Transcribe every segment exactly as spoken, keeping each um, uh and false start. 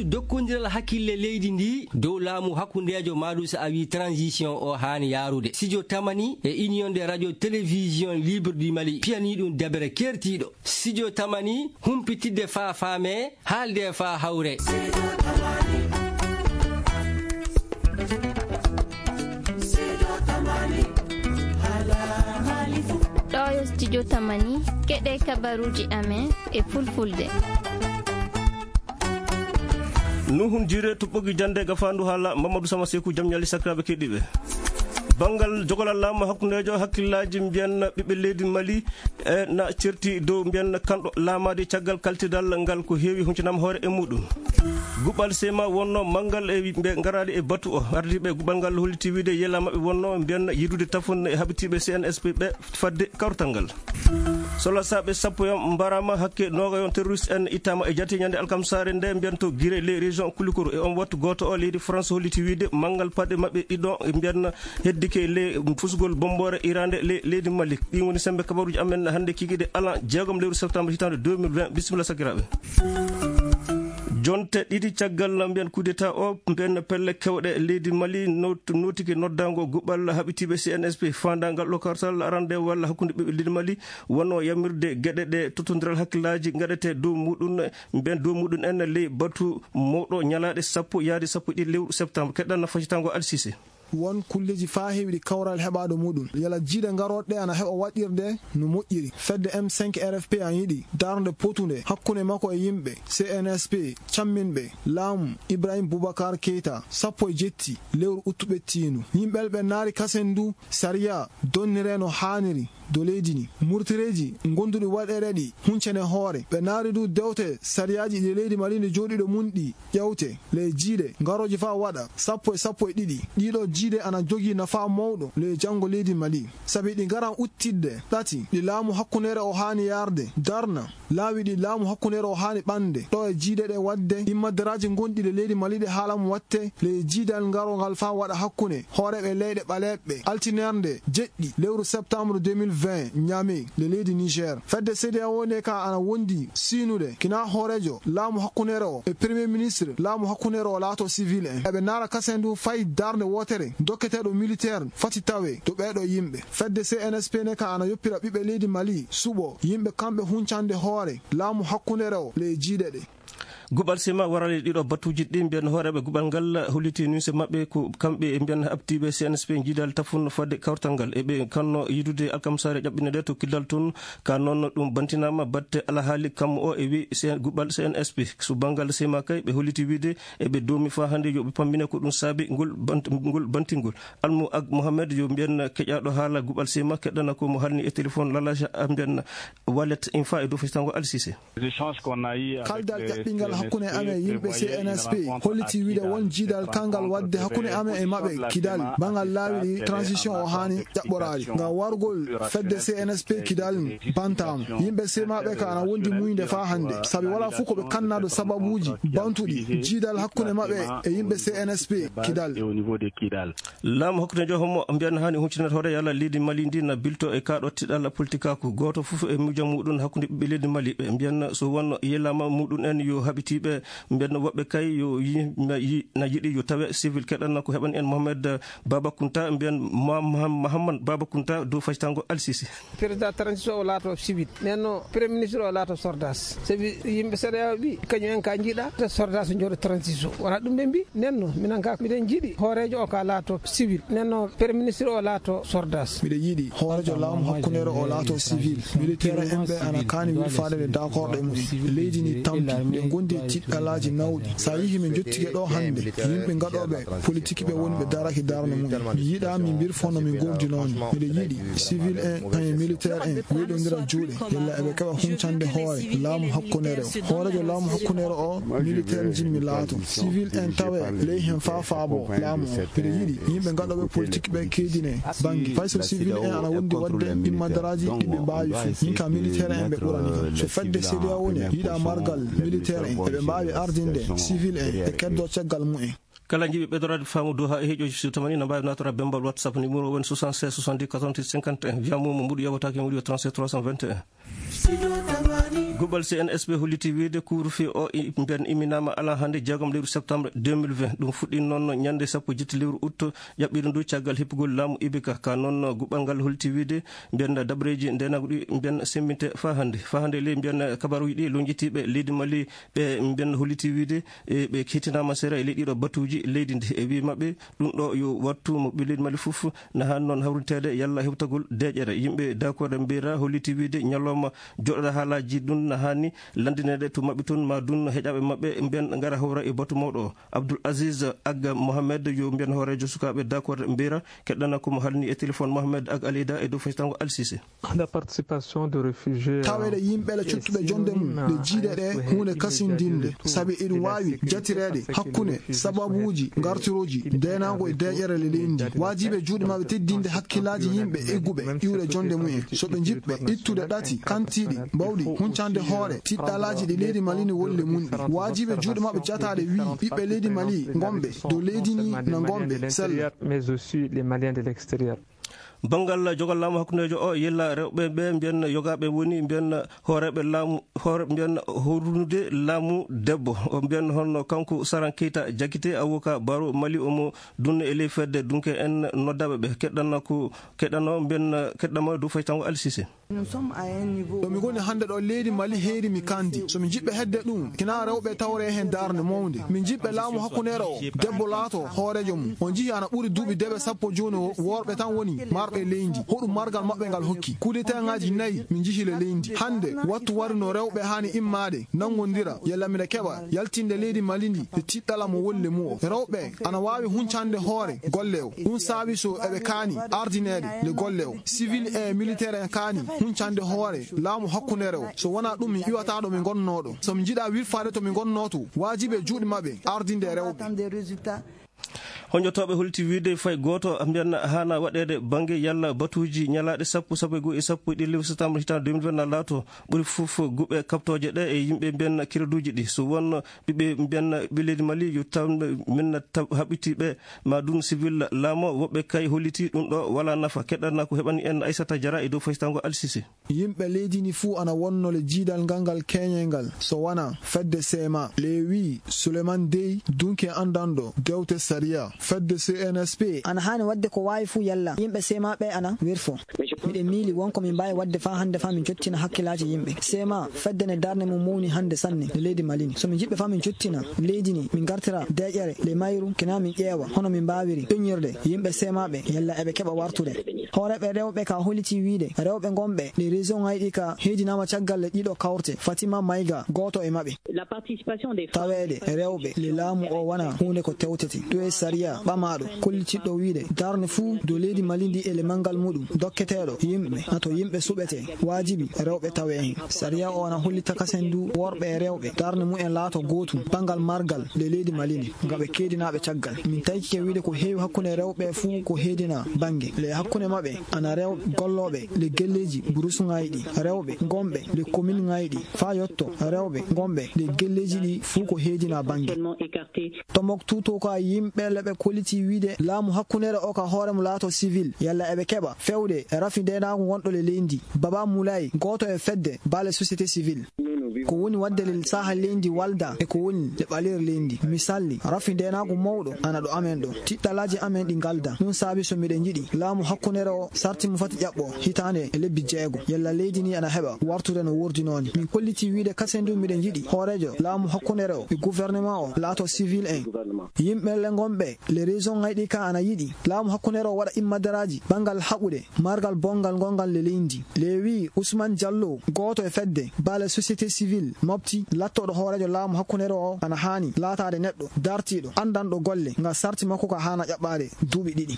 Jokkondiral hakkille leydi ndi dow laamu hakkundeejo, maɗum so a wi transition, o haani yaarude. Studio Tamani e Union des radios télévision libre du Mali piyanii ɗum deɓere keertiiɗo. Studio Tamani, humpitidde faa faamee, haalde faa hawre. Ɗo yo Studio Tamani, keɗe kabaruuji amen e fulfulde. Nuhun Jire to ɓogi jande gafandu hala Mamadou Sama Seku, jam ñali sakiraaɓe keɗiiɓe. Banngal jogolal laamu hakkundeejo hakkillaaji mbiyan ɓiɓɓe leydi Mali e na certi dow mbiyan kanɗo laamaade caggal kaltidal ngal ko heewi huncinama hoore e muɗum. Guɓal sema wonno manngal e ɓe ngaraali e batu o. Ardiiɓe guɓal ngal holliti wiide yela maɓɓe wonno mbiyan yidude tafon e haɓitiiɓe C N S P ɓe fadde kawrital ngal. Solasaaɓe sappo yon mbarama hakke nooga yon terroriste en ittama e jati ñande alkamsaare nde mbiyan to Gire ley région Kulikoro. E on wattu gooto o leydi France holliti wiide manngal paɗe maɓɓe ɗiɗo mbiyan heddike ley fusgol bomboore irande ley leydi Mali. Ɗin woni sembe kabaruji amen hannde kikiɗe alan jeegom lewru septembre hitande deux mille vingt. Bisimilla sakiraaɓe. Jonte ɗiɗi caggal mbiyan coup d'état o, mbiyan pelle kewɗe leydi Mali not-, notike noddango guɓal haɓitiiɓe C N S P fandangal ɗo kartal arande walla hakkunde ɓiɓɓe leydi Mali wonno yamirde geɗe ɗe tottondiral hakkillaaji gaɗete dow muɗum, mbiyan dow muɗum en ley batu mawɗo ñalaaɗe sappo yaade sappo e ɗiɗi lewru septembre. Keɗɗan na facitango Alsise. Won kulleeji faa heewi ɗi kawral heɓaɗo muɗum. Yala jiiɗe garooɗe ana heɓa waɗirde no moƴƴiri. Fedde M cinq R F P an yiɗi darnde potunde hakkunde makko e yimɓe C N S P, camminɓe laamu Ibrahim Boubacar Keita, sappo e jetti lewru uttu ɓettiindu. Yimɓe ɓe naari kasen ndu sariya donniree no haaniri. Dow leydi ndi, murtireeji gonduɗi waɗereɗi huncene hoore. Ɓe naari du dewte sariyaaji ɗi leydi Mali ndi jooɗiɗo mun ɗi ƴewte ley jiiɗe garooji faa waɗa sappo e sappo e ɗiɗi. Ɗiɗo jiiɗe ana jogii nafaa mawɗo ley janngo leydi Mali. Sabi ɗi ngaran uttidde ɗati ɗi laamu hakkunere o haani yarde, darna laawi ɗi laamu hakkunere o haani ɓande. Ɗo e jiiɗe ɗe waɗde, immadaraaji gonɗi le leydi Mali ɗe haala mo watte le jiidal ngarongal faa waɗa hakkunde hooreeɓe leyɗe ɓaleeɓe, altinernde jeɗɗi lewru septembre deux mille vingt, Niamey, le leydi Niger. Fedde C D A O nde ka ana wondi siinude kina hooreejo laamu hakkunere o e premier ministre laamu hakkunere o laato civil en. Eɓe naara kasen du fay darnde wootere dokketeeɗo militaire fati tawe to ɓeeɗo yimɓe. Fedde C N S P ne ka ana yoppira ɓiɓɓe leydi Mali suɓo yimɓe kamɓe huncande hoore laamu hakkunere o ley jiiɗe ɗe. Guɓal sima warali ɗiɗo batuuji ɗi mbiyan hooreeɓe guɓal ngal holliti nunse maɓɓe ko kamɓe e mbiyan haɓtiiɓe C N S P jiidal tafun fadde kawtal ngal. Eɓe kanno yidude alkamsaare ƴaɓɓine ɗe to kidal tun. Ka noon ɗum bantinaama batte alahaali kam o e wi C-, guɓal C N S P. So banngal sima kay ɓe holliti wiide eɓe doomi faa hannde yo ɓe pammine ko ɗum saabi ngol bant-, ngol bantingol. Almu Ag Mohamed yo mbiyen keƴaaɗo haala guɓal sima keɗɗana ko mo halni e téléphone lalaja a mbiyen wallet infa e dow fesitango Al Sise. Kaldal ƴaɓɓingal hakkunde amen e yimɓe C N S P holliti wiide won jiidal kalngal waɗde hakkunde amen e maɓɓe kidal bangal laawi ɗi transition o haani ƴaɓɓoraade. Ngam wargol fedde C N S P kidal bantaama. Yimɓe semaɓe ka ana wondi muñde faa hannde. Sabi wala fof ko ɓe kannado sababuuji bantuɗi jiidal hakkunde maɓɓe e yimɓe C N S P kidal. Laamu hakkunde joho mo mbiyan haani huccunde hoore yalla leydi Mali ndi na bilto e kaɗo tiɗal politikaaku. Gooto fof e miijo muɗum hakkunde ɓiɓɓe leydi Mali. Ɓe mbiyan so wonno yelama muɗum en yo haɓitiiɓe mbiyan woɓɓe kay yo yi-, na yi-, na yiɗi yo tawe civil keɗanna ko heɓan en Mohamed Baba Kunta mbiyan Mohamed Baba Kunta dow facitango Al Sisi. Président transition o laato civil. Nden no premier ministre o laato sordas. Sabi yimɓe C D A O ɓi, kañum en ka jiiɗa, te sordas jooɗo transition. Wona ɗum ɓe mbi. Nden no, minen ka, miɗen jiiɗi hooreejo o ka laato civil. Nden no, premier ministre o laato sordas. Miɗo yiɗi hooreejo laamu hakkundeere o laato civil. Militaire en ɓe ana kaani wilfaade nde d'accord ɗe mumen. Leydi ndi tampi, ɓe gondi e tiɗɗalaaji nawɗi. So a yihi min jottike ɗo hannde, yimɓe gaɗooɓe politique ɓe woni ɓe daraki darnde mumen. Mi yiɗaa mi mbirfo no min goordinoomi. Miɗo yiɗi civil en, kañum militaire en, weeɗondira juuɗe. Yalla eɓe keɓa huncande hoore laamu hakkunere o. Hooreejo laamu hakkunere o, militaire jimmi laato. Civil en tawe ley hen faa faabo laamu o. Miɗo yiɗi yimɓe gaɗooɓe politique ɓe keedine bannge. Fay so civil en ana wondi waɗde immadaraaji ɗi ɓe mbaawi fii. Min ka militaire en ɓe ɓurani kam. So fedde C D A O woni yiɗa margal militaire en, eɓe mbaawi ardinde civil en e keddo caggal mumen. Kala jiɗi ɓeydoraade faamu dow haa e heeƴooji so tamani na mbaawi naattora bembal WhatsApp numéro woni soixante-seize soixante-dix quatre-vingt-huit cinquante et un. Via Momo mbuɗu yewataake mbuɗu yo trente-sept trois cent vingt et un. Guɓal C N S P holliti wiyde couvre-feu o i-, mbiyen iminaama alaa hannde jeegom lewru septembre deux mille vingt. Ɗum fuɗɗii noon ñannde sappo jetti lewru août ƴaɓɓiiɗo ndu caggal heppugol laamu Ibeka. Ka noon guɓal ngal holliti wiyde mbiyen dabareeji ndeenaagu ɗi mbiyen sembinte faa hannde. Faa hannde ley mbiyen kabaruuji ɗi lonjitiiɓe leydi Mali ɓe mbiyen holliti wiyde e ɓe kettinaama seera e ley ɗiɗo batuuji leydi ndi. E wii maɓɓe ɗum ɗo yo wattu mo ɓe leydi Mali fof na haan noon hawrinteede yalla hewtagol deeƴere. Yimɓe d'accord mbiyra holliti wiyde ñalawma joɗoɗa haalaaji ɗum na haani lanndineede to maɓɓe toon ma dun heƴaaɓe maɓɓe mbiyen ngara hawra e batu mawɗo o. Abdoul Aziz Agga Mohamed yo mbiyen hooreejo sukaaɓe d'accord mbiyra keɗɗana ko mo halni e téléphone Mohamed Ag Alida e dow faytango Alsise. La participation de réfugiés, euh, taweede yimɓe le cottuɓe jonde mum ɗe jiiɗe ɗe huunde kasindinde sabi eɗum waawi jatireede hakkunde sababuuji ngartirooji ndeenaagu e deeƴere le leydi ndi. Waajibi e juuɗe maɓɓe teddinde hakkillaaji yimɓe egguɓe iwde jonde mumen. So ɓe njiɗɓe ittude ɗati kantiiɗi mbawɗi huncande hoore tiɗɗalaaji ɗi leydi Mali ndi woni le mum ɗi, waajibi e juuɗe maɓɓe jataade wii ɓiɓɓe leydi Mali ngonɓe dow leydi ndi na ngonɓe sella. Mais aussi les Maliens de l'extérieur. Banngal jogal laamu hakkundeejo o yilla rewɓe ɓe mbiyen yogaaɓe woni mbiyen hooreeɓe laamu, hoore mbiyen howrude laamu debbo. O mbiyen hono kanko Saran Keita Jakite, avocat baro Mali, omo dunna e ley fedde dunke en noddaaɓe ɓe. Keɗɗanna ko, keɗɗanno mbiyen, keɗɗama dow faytango Alsise. Ɗo mi ngoni hannde ɗo leydi Mali heeri mi kandi. So mi jiɓɓe hedde ɗum, kina rewɓe tawre heen darnde mawnde. Min jiɓɓe laamu hakkundeere o, debbo laato hooreejo mum. On njihi ana ɓuri duuɓi deɓe sappo jooni o, worɓe tan woni marɓe leydi. Hoɗum margal maɓɓe ngal hokki? Kudetaaji nayi min njihi le leydi. Hannde, wattu wari no rewɓe haani immaade, nanngondira, yalla mine keɓa, yaltinde leydi Mali ndi, e tiɗɗala mo woni le mum o. Rewɓe ana waawi huncande hoore golle o. Ɗum saabi so eɓe kaani ardineede le golle o. Civil e militaire en kaani huncande hoore laamu hakkundeere o. So wonaa ɗum, mi iwata ɗo mi ngonnoo ɗo. So mi njiɗa wirfaade to mi ngonnoo to, waajibi e juuɗe maɓɓe ardinde rewɓe. Honjotooɓe holti wiyde fay gooto mbiyan haana waɗeede bannge yalla batuuji ñalaaɗe sappo, sappo e goo e sappo e ɗiɗi lewru septembre hitaande deux mille vingt na laato ɓuri fof guɓe kaɓtooje ɗe e yimɓe mbiyan kireduuji ɗi. So won ɓiɓɓe mbiyan ɓe leydi Mali yo taw min na tab-, haɓɓiti ɓe ma dun civil laamo, woɓɓe kay holliti ɗum ɗo wala nafa. Keɗɗanna ko heɓani en Aissata Diarra e dow faytango Alsise. Yimɓe leydi ndi fuu ana wonno le jiidal ngal ngal keñe ngal, so wona fedde C M A. Le wii Souleymane Dey, dunke anndanɗo dewte sariya fedde C N S P. Ana haani waɗde ko waawi fuu yalla yimɓe C M A ɓe ana werfo. Miɗen miili won ko min mbaawi waɗde faa hannde faa min cottina hakkillaaji yimɓe. C M A fedde ne darnde mum mawni hannde sanne le leydi Mali ndi. So min njiɗɓe faa min cottina leydi ndi, min ngartira deeƴere le mayru, kina min ƴeewa hono min mbaawiri ƴoñirde yimɓe C M A ɓe yalla eɓe keɓa wartude. Hooreeɓe rewɓe ka holliti wiyde rewɓe ngonɓe ɗi région ŋaaji ɗi ka heedinaama caggal ɗe ɗiɗo kawte, Fatima Maïga, gooto e maɓɓe. La participation des femmes. Taweede rewɓe le laamu o wona huunde ko tewtete. Ɗum e sariya ɓamaaɗo kollitiɗɗo wiyde darnde fuu dow leydi Mali ndi e le manngal muɗum dokketeeɗo yimɓe, na to yimɓe suɓete, waajibi rewɓe tawe heen. Sariya o ana holli takasen du worɓe e rewɓe darnde mumen laato gootum banngal margal le leydi Mali ndi, nga ɓe keedinaaɓe caggal. Min taykike wiyde ko heewi hakkunde rewɓe fuu ko heedina bannge. Le hakkunde maɓɓe ana rew gollooɓe le gelleeji burusuŋaaji ɗi, rewɓe ngonɓe le commune ŋaaji ɗi, faa yotto rewɓe ngonɓe le gelleeji ɗi fuu ko heedina bannge. Seulement écarté. Tombouctou to ka yimɓe le ɓe kolliti wiyde laamu hakkundeere o ka hoore mum laato civil, yalla eɓe keɓa fewde rafi ndeenaagu ngonɗo le leydi. Baba Moulay, gooto e fedde baale société civile. Ko woni waɗde le saaha leydi walda e ko woni le ɓaleeri leydi. Misalli, rafi ndeenaagu mawɗo ana ɗo amen ɗo. Tiɗɗalaaji amen ɗi ngalda. Ɗum saabi so miɗen njiɗi laamu hakkundeere o sarti mo fati ƴaɓɓo hitaande e lebbi jeego. Yalla leydi ndi ana heɓa wartude no woordinoo ni. Min kolliti wiyde kasen du miɗen njiɗi hooreejo laamu hakkundeere o e gouvernement o laato civil en. Yimɓe le ngonɓe le région ŋaaji ɗi ka ana yiɗi laamu hakkundeere o waɗa immadaraaji banngal haɓude margal bonngal ngongal le leydi. Le wii Ousmane Diallo, gooto e fedde baale société civile Mopti, lattooɗo hooreejo laamu hakkundeere o ana haani laataade neɗɗo dartiiɗo, anndanɗo golle, nga sarti makko ka haana ƴaɓɓaade duuɓi ɗiɗi.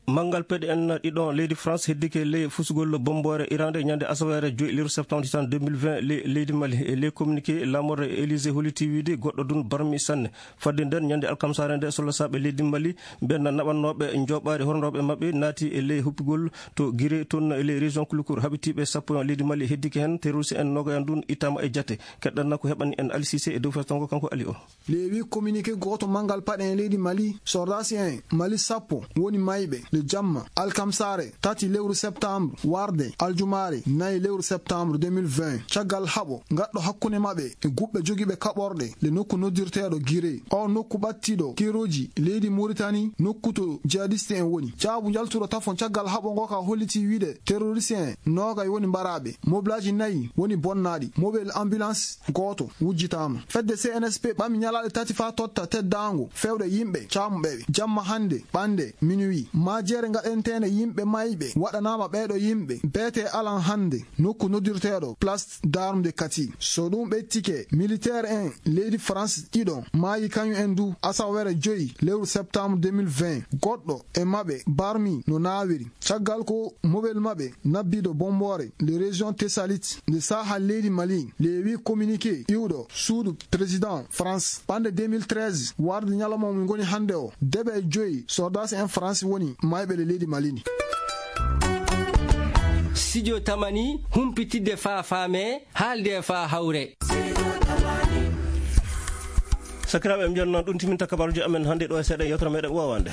Manngal peɗe en ɗiɗon leydi France heddike ley fusugol bommboore Iran nde ñande asaweere joy lewru septembre tan deux mille vingt le-, leydi Mali. E ley communiqué laamorde Élysée holliti wiyde goɗɗo dun barmi sanne. Fadde nden ñande alkamsaare nde solosaaɓe leydi Mali ɓen naɓannooɓe njooɓaari horndooɓe maɓɓe naati e ley huppigol to Guiré toon e ley région Koulikoro. Haɓitiiɓe sappo en leydi Mali heddike hen, terroriste en noogay en dun ittaama e jate. Keɗɗanna ko heɓani en Ali Cissé e dow festango kanko Ali o. Leewi communiqué gooto manngal paɗe en leydi Mali, sordaasi en Mali sappo woni mayɓe. nde jamma alkamsaare tati lewru septembre warde aljumaare nayi lewru septembre deux mille vingt, caggal haɓo ngaɗɗo hakkunde maɓɓe e guɓɓe jogiiɓe kaɓorɗe le nokku noddirteeɗo Gire. O nokku ɓattiiɗo keerooji leydi Muritani, nokku to jihadiste en woni. Caabu njaltuɗo tafon caggal haɓo ngo ka holliti wiide terroriste en noogay woni mbaraaɓe. Mobilaaji nayi woni bonnaaɗi. Mobile ambulance gooto wujjitaama. Fedde C N S P ɓami ñalaaɗe tati faa totta teddaango fewɗe yimɓe caamuɓe ɓe. Jamma hannde ɓannde minuit. Maajeere ngaɗenteene yimɓe mayɓe waɗanaama ɓeeɗo yimɓe. Beete alan hannde nokku noddirteeɗo Place d'Armes de Kati. So ɗum ɓettike, militaire en leydi France ɗiɗo maayi kañum en du asawere joyi lewru septembre deux mille vingt. Goɗɗo e maɓɓe barmi no naawiri. Caggal ko mobel maɓɓe nabbiiɗo bomboore le région Thessalite nde saaha leydi Mali, le wi communiqué iwɗo suudu président France. Ɓannde deux mille treize warde ñalawma mo ngoni hannde o, deɓe joyi sordaas en France woni mayɓe le leydi Mali ndi. Studio Tamani, humpitidde faa faame, haalde faa hawre. Sakiraaɓe, en mbiyat noon ɗum timinta kabaruuji amen hannde ɗo e seeɗa yewtere meɗen wowande.